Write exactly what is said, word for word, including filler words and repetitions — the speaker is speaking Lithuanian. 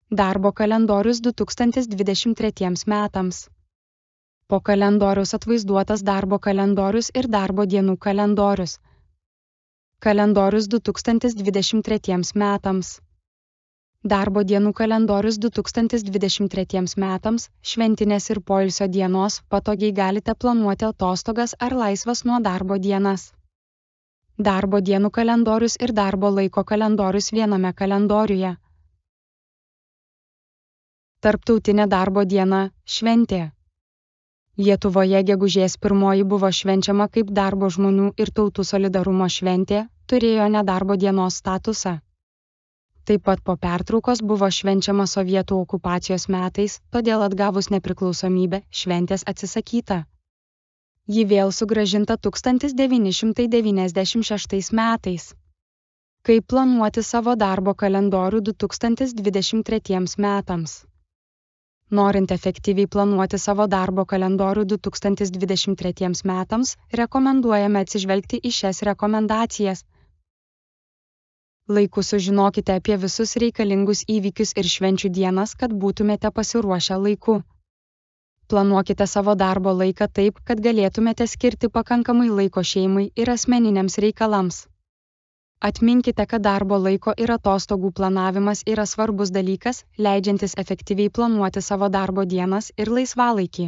Darbo kalendorius du tūkstantis dvidešimt tretiems metams. Po kalendoriaus atvaizduotas darbo kalendorius ir darbo dienų kalendorius. Kalendorius du tūkstantis dvidešimt tretiems metams. Darbo dienų kalendorius du tūkstantis dvidešimt tretiems metams, šventinės ir poilsio dienos, patogiai galite planuoti atostogas ar laisvas nuo darbo dienas. Darbo dienų kalendorius ir darbo laiko kalendorius viename kalendoriuje. Tarptautinė darbo diena – šventė. Lietuvoje gegužės pirmoji buvo švenčiama kaip darbo žmonių ir tautų solidarumo šventė, turėjo nedarbo dienos statusą. Taip pat po pertraukos buvo švenčiama sovietų okupacijos metais, todėl atgavus nepriklausomybę, šventės atsisakyta. Ji vėl sugrąžinta tūkstantis devyni šimtai devyniasdešimt šeštais metais. Kaip planuoti savo darbo kalendorių du tūkstantis dvidešimt tretiems metams? Norint efektyviai planuoti savo darbo kalendorių du tūkstantis dvidešimt tretiems metams, rekomenduojame atsižvelgti į šias rekomendacijas. Laiku sužinokite apie visus reikalingus įvykius ir švenčių dienas, kad būtumėte pasiruošę laiku. Planuokite savo darbo laiką taip, kad galėtumėte skirti pakankamai laiko šeimai ir asmeniniams reikalams. Atminkite, kad darbo laiko ir atostogų planavimas yra svarbus dalykas, leidžiantis efektyviai planuoti savo darbo dienas ir laisvalaikį.